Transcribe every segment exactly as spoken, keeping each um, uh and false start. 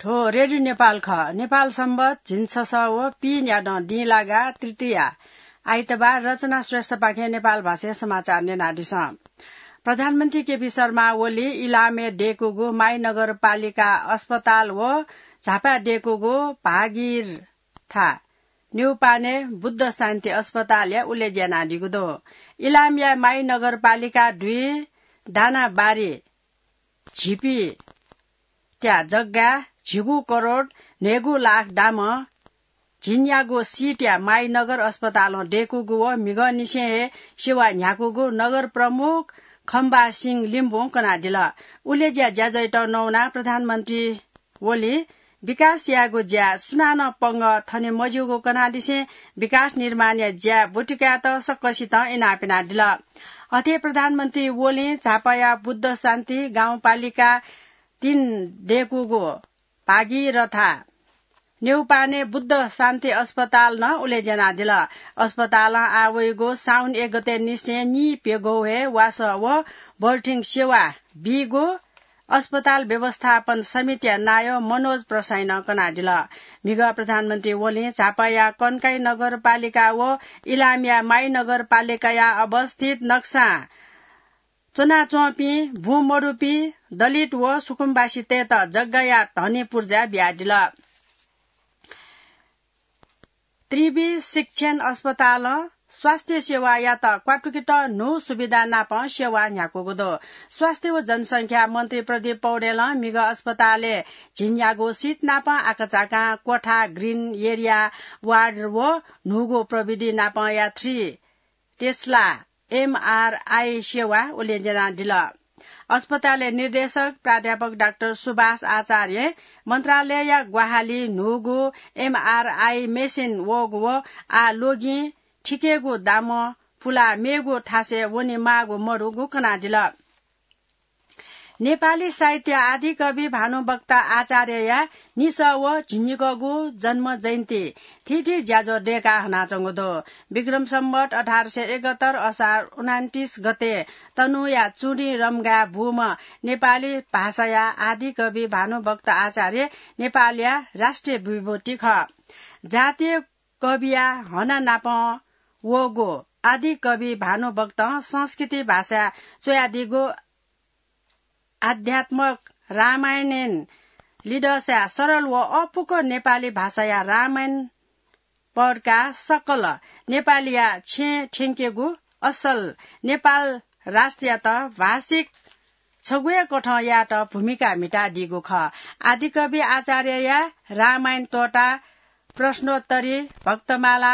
थ्व रेडियो नेपाल खः। नेपाल सम्बत झिंछसः व पीन्यादँ दिंलागा तृतीया आइतबार। रचना श्रेष्ठपाखें नेपाल भाषाय् समाचार न्यनादिसँ। प्रधानमन्त्री केपी शर्मा ओली इलामय् दय्कूगु माई नगरपालिका अस्पताल व झापाय् दय्कूगु भागीरथा न्यूपाने बुद्ध शान्ति अस्पतालया उलेज्या यानादीगु दु। इलामया माई नगरपालिका दुई दानाबारी झिपी त्या जग्गा झिगू करोड न्हय्गू लाख दामं झिंन्यागू सिटया माई नगर अस्पतालं दय्कूगु व म्हिगःनिसें हे सेवा न्ह्याकूगु नगर प्रमुख खम्बा सिंह लिम्बुं कनादिल। उलेज्या ज्याझ्वःयात नवानाः प्रधानमन्त्री ओलीं विकास यायेगु ज्याय् सुनानं पंगः थने मज्यूगु कनादिसें विकास निर्माणया ज्याय् ब्वति कायेत सकसितं इनाप यानादिल। अथे प्रधानमन्त्री ओलीं झापाया बुद्ध शान्ति गाउँपालिका तीन दय्कूगु भागीरथा न्यूपाने बुद्ध शान्ति अस्पताल नं उलेज्या यानादिल। अस्पतालं आः वइगु साउन एक गते निसें नीप्यघौ हे वासः व भर्थिङ सेवा बीगु अस्पताल व्यवस्थापन समितिया नायः मनोज प्रसाईं नं कनादिल। म्हिगः प्रधानमन्त्री ओलीं झापाया कन्काई नगरपालिका व इलामया माई नगरपालिकाया अवस्थित नक्सां च्वनाच्वंपिं बुँ मदुपिं दलित व सुकुम्बासीतय्त जग्गाया धनी पुर्जा बियादिल। त्रिवि शिक्षण अस्पतालं स्वास्थ्य सेवायात क्वातुकेत न्हू सुविधा नाप सेवा न्ह्याकूगु दु। स्वास्थ्य व जनसंख्या मन्त्री प्रदीप पौडेलं म्हिगः अस्पतालय् झिंन्यागू सिट नाप आकाझाकां कोठा, ग्रिन एरिया, वार्ड व न्हूगु प्रविधि नापया थ्री टेस्ला एमआरआई सेवा उलेज्या यानादिल। अस्पतालया निर्देशक प्राध्यापक डाक्टर सुभाष आचार्यं मन्त्रालयया ग्वाहालिं न्हूगु एमआरआई मेसिन वःगु व आः ल्वगिं थिकेगु दामं पुलाः मेगु थासय् वनेमाःगु मदुगु कनादिल। नेपाली साहित्यया आदिकवि भानुभक्त आचार्यया निसः व झिंनिकःगु जन्म जयन्ती थीथी ज्याझ्वः दय्काः हनाच्वंगु दु। विक्रम सम्वत अठार सय एकहत्तर असार उनान्तिस गते तनहुँया चुँडी रम्घाय् बूम्ह नेपाली भाषाया आदिकवि भानुभक्त आचार्य नेपालया राष्ट्रिय विभूति खः। जातीय कविया हना नाप वःगु आदिकवि भानुभक्तं संस्कृति भाषाय् च्वयादीगु आध्यात्मक रामायणय् लिधःसाय् सरल व अःपुक नेपाली भाषाया रामायण पढ्काः सकल नेपालीया छेँ थ्यंकेगु असल नेपाल राष्ट्रयात भाषिक छगू हे कथं यायेत भूमिका म्हितादीगु खः। आदिकवि आचार्यया रामायण तोटा, प्रश्नोत्तरी, भक्तमाला,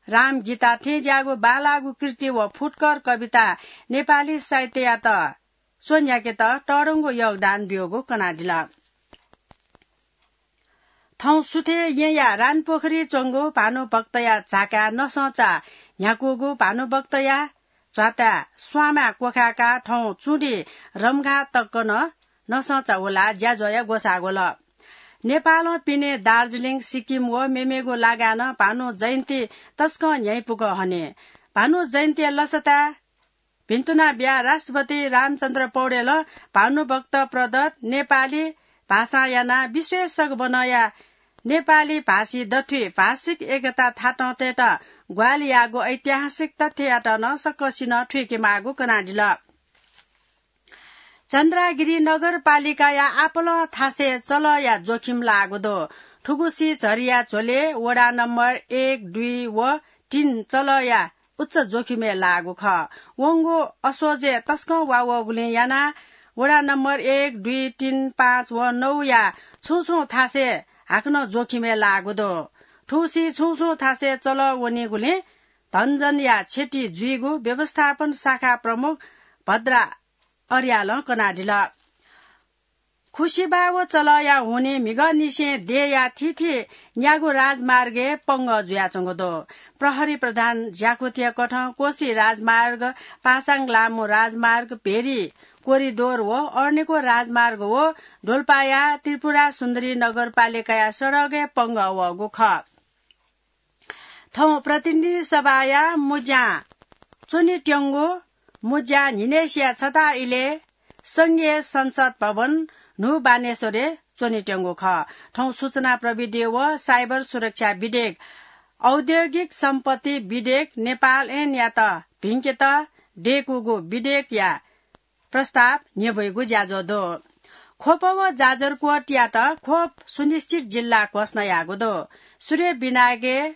रामगीता थें ज्याःगु बांलाःगु कृति व फुटकर कवितां नेपाली साहित्ययात च्वन्ह्याकेत तःधंगु योगदान ब्यूगु कनादिल। थौं सुथय् येँया रानपोखरी च्वंगु भानुभक्तया झाकाय् नसंचा न्ह्याकूगु भानुभक्तया च्वाताय् स्वांमाय् क्वखाय्काः थौं चुँडी रम्घा तक नं नसंचा हुलाः ज्याझ्वःया ग्वसाः ग्वल। नेपालं पिने दार्जिलिङ, सिक्किम व मेमेगु लागाय् नं भानु जयन्ती तसकं न्ह्यइपुक हने। भानु जयन्तीया लसताय् भिन्तुना बियाः राष्ट्रपति रामचन्द्र पौडेलं भानुभक्त प्रदत्त नेपाली भाषां यानाः विश्वय् सगबनया नेपाली भाषी दथुइ भाषिक एकता थातं तयेत ग्वाहालि याःगु ऐतिहासिक तथ्ययात नं सकसिनं थुइकेमाःगु कनादिल। चन्द्रागिरी नगरपालिकाया आपालं थासय् चलःया जोखिम लाःगु दु। थुगुसी झरीया झ्वलय् वडा नम्बर एक, दुई व तीन चलःया उच्च जोखिमय् लाःगु खः। वंगु असोजय् तसकं वा वःगुलिं यानाः वडा नम्बर एक, दुई, तीन, पाँच व नौया छुं छुं थासय् हाकनं जोखिमय् लाःगु दु। थुगुसी छुं छुं थासय् चलः वनीगुलिं धनजनया क्षति जुइगु व्यवस्थापन शाखा प्रमुख भद्रा अर्यालं कनादिल। खुसिबा व चलःया हुनिं म्हिगःनिसें देय्‌या थीथी न्यागू राजमार्गय् पंगः जुयाच्वंगु दु। प्रहरी प्रधान ज्याकुथिया कथं कोशी राजमार्ग, पासाङ लामु राजमार्ग, भेरी कोरिडोर व अरनिको राजमार्ग व डोल्पाया त्रिपुरा सुन्दरी नगरपालिकाया सडकय् पंगः वःगु खः। थौं प्रतिनिधि सभाया मुज्यां च्वनेत्यंगु मुज्यां न्हिनय्‌सिया छता इलय् संघीय संसद भवन न्हू बानेश्वरय् च्वनेत्यंगु खः। थौं सूचना प्रविधि व साइबर सुरक्षा विधेयक, औद्योगिक सम्पत्ति विधेयक नेपाल ऐनयात भिंकेत दयेकूगु विधेयकया प्रस्ताव न्ह्यब्वइगु ज्याझ्वः दु। ख्वप व जाजरकोटयात ख्वप सुनिश्चित जिल्ला घोषणा याःगु दु। सूर्य विनायकय्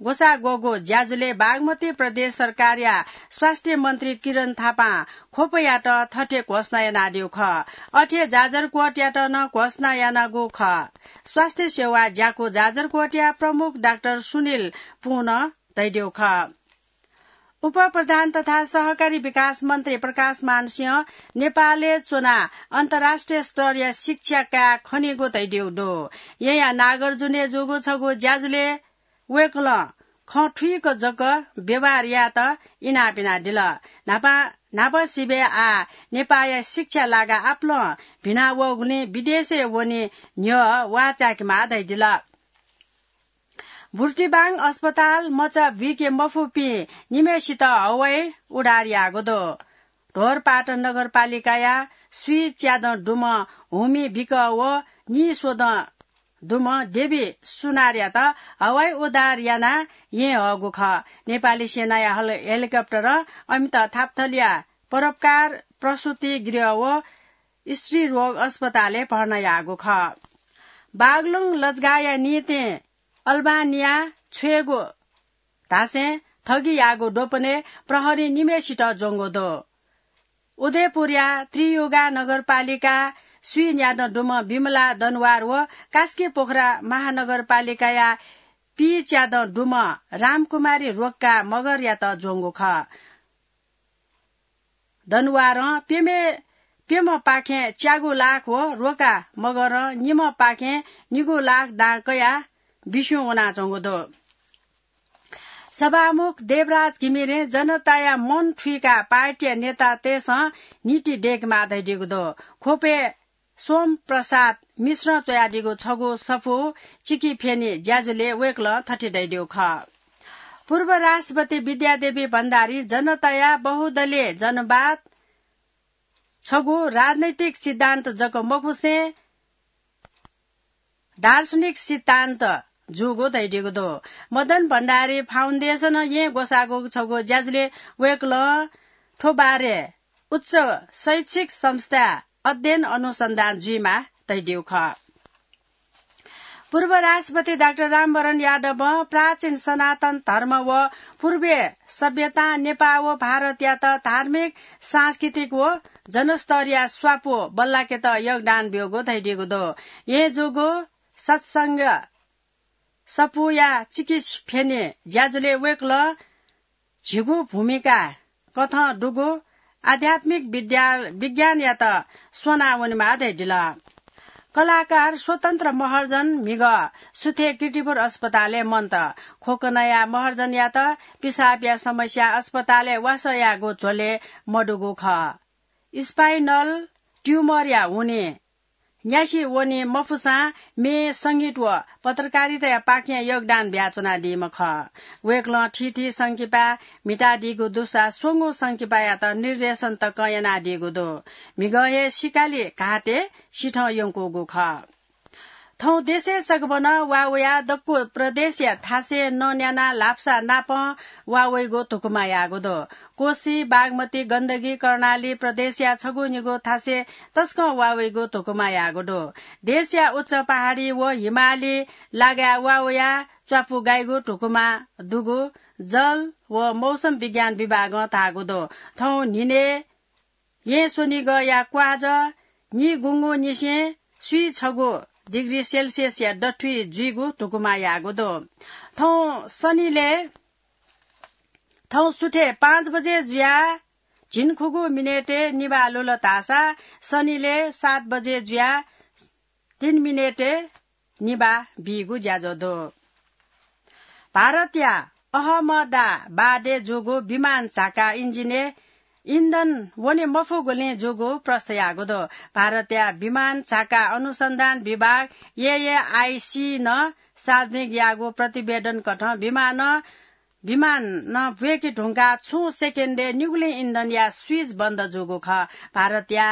ग्वसाः ग्वःगु ज्याझ्वलय् बागमती प्रदेश सरकारया स्वास्थ्य मन्त्री किरण थापां ख्वपयात थथे घोषणा यानादीगु खः। अथे जाजरकोटयात नं घोषणा यानागु खः। स्वास्थ्य सेवा ज्याकू जाजरकोटया प्रमुख डाक्टर सुनिल पुं धयादीगु खः। उपप्रधान तथा सहकारी विकास मन्त्री प्रकाशमान सिंह नेपालय् च्वनाः अन्तर्राष्ट्रिय स्तरया शिक्षा काये खनीगु धयादीगु दु। येँया नागार्जुनय् जूगु छगू ज्याझ्वलय् वय्कलं खँ थुइक जक व्यवहार यायेत इनाप यानादिल। न्हापा, न्हापा सिबय् आः नेपाःया शिक्षा लागा आपालं भिना वःगुलिं विदेशय् वने न्ह्यः वाः चाय्केमाः धयादिल। बुर्तिबाङ अस्पताल मचा बुइके मफुपिं निम्हय्सित हवाई उद्धार याःगु दु। ढोरपाटन नगरपालिकाया स्वीच्यादँ दुम्ह हुमि बिक व नीस्वदँ दुम्ह देवी सुनारयात हवाई उद्धार यानाः येँ हःगु खः। नेपाली सेनाया हल-, हेलिकप्टरं अमित थापथलिया परोपकार प्रसूति गृह व स्त्री रोग अस्पतालय् भर्ना याःगु खः। बागलुङ लजगाःया निंतिं अल्बानिया छ्वयेगु धासें ठगी याःगु द्वपनय् प्रहरीं निम्हय्सित ज्वंगु दु। उदयपुरया त्रियुगा नगरपालिका स्वीच्यादँ दुम्ह विमला दनवार व कास्की पोखरा महानगरपालिकाया पीच्यादँ दुम्ह रामकुमारी रोक्का मगरयात ज्वंगु खः। दनवारं प्यम्ह, प्यम्हपाखें च्यागू लाख व रोक्का मगरं निम्हपाखें निगू लाख दां कयाः बिस्युं वनाच्वंगु दु। सभामुख देवराज घिमिरें जनताया मन थुइकाः पार्टीया नेतातय्सं नीति दय्केमाः धयादीगु दु। ख्वपय् सोम प्रसाद मिश्रं च्वयादीगु छगू सफू चिकिफ्यनी ज्याझ्वलय् वय्कलं थथे धयादीगु खः। पूर्व राष्ट्रपति विद्यादेवी भण्डारी जनताया बहुदलीय जनवाद छगू राजनैतिक सिद्धान्त जक मखुसें दार्शनिक सिद्धान्त जूगु धयादीगु दु। मदन भण्डारी फाउन्डेसनं येँ ग्वसाःगु छगू ज्याझ्वलय् वय्कलं थ्व बारे उच्च शैक्षिक संस्था अध्ययन अनुसन्धान जुइमाः धयादीगु खः। पूर्व राष्ट्रपति डाक्टर रामवरण यादवं प्राचीन सनातन धर्म व पूर्वीय सभ्यतां नेपाः व भारतयात धार्मिक, सांस्कृतिक व जनस्तरया स्वापू बल्लाकेत योगदान ब्यूगु धयादीगु दु। येँ जूगु सत्संग सफूया चिकिफ्यनी ज्याझ्वलय् वय्कलं झीगु भूमिका कथं दुगु आध्यात्मिक विद्या, विज्ञानयात स्वना वनेमाः धयादिल। कलाकार स्वतन्त्र महर्जन म्हिगः सुथय् कीर्तिपुर अस्पतालय् मन्त। खोकनाया महर्जनयात पिसाबया समस्या अस्पतालय् वासः यायेगु झ्वलय् मदुगु खः। Spinal tumor या हुनिं न्यासि वने मफुसां म्ये, संगीत व पत्रकारिताया पाखें योगदान बियाच्वनादीम्ह खः। वय्कलं थीथी संकिपा म्हितादीगु दुसा स्वंगू संकिपायात निर्देशन तकं यानादीगु दु। म्हिगः हे सिकाली घातय् सिथं यंकूगु खः। थौं देशय् सकभनं वा वयाः दक्व प्रदेशया थासय् नन्यानाः ल्हापसा नापं वा वइगु धुकुमा याःगु दु। कोशी, बागमती, गण्डकी, कर्णाली प्रदेशया छगू निगू थासय् तसकं वा वइगु धुकुमा याःगु दु। देशया उच्च पहाडी व हिमाली लागाय् वा वयाः च्वापु गाइगु धुकुमा दुगु जल व मौसम विज्ञान विभागं धाःगु दु। थौं न्हिनय् येँ स्वनिगःया क्वाजः निगुंगुनिसें स्वीछगू डिग्री सेल्सियसया दथुइ जुइगु धुकुमा याःगु दु। थौं सनिलय्, थौं सुथय् पाँच बजे जुयाः झिंखुगू मिनेटय् निभाः लुल धाःसा सनिलय् सात बजे जुयाः तीन मिनेटय् निभाः बीगु ज्याझ्वः दु। भारतया अहमदाबादय् जूगु विमान झाका इन्जिनय् इन्धन वने मफुगुलिं जूगु प्रष्ट याःगु दु। भारतया विमान झाका अनुसन्धान विभाग, एएआइसी, नं सार्वजनिक याःगु प्रतिवेदन कथं विमानं विमान नं ब्वय्के धुंकाः छुं सेकेन्डय् निगुलिं इन्धनया स्विच बन्द जूगु खः। भारतया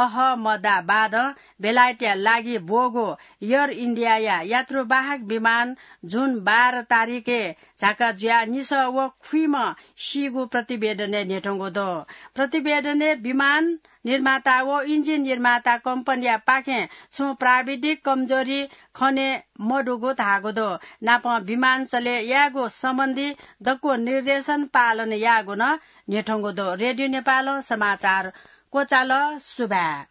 अहमदाबादं बेलायतया लागि ब्वःगु एयर इन्डियाया यात्रुवाहक विमान जुन बाह्र तारिखय् झाका जुयाः निसः व खुइम्ह सीगु प्रतिवेदनय् न्ह्यथंगु दु। प्रतिवेदनय् विमान निर्माता व इन्जिन निर्माता कम्पनीया पाखें छुं प्राविधिक कमजोरी खने मदुगु धाःगु दु। नापं विमान चले यायेगु सम्बन्धी दक्व निर्देशन पालन याःगु नं न्ह्यथंगु दु। रेडियो नेपालं समाचार क्वचाल। सुभाय्।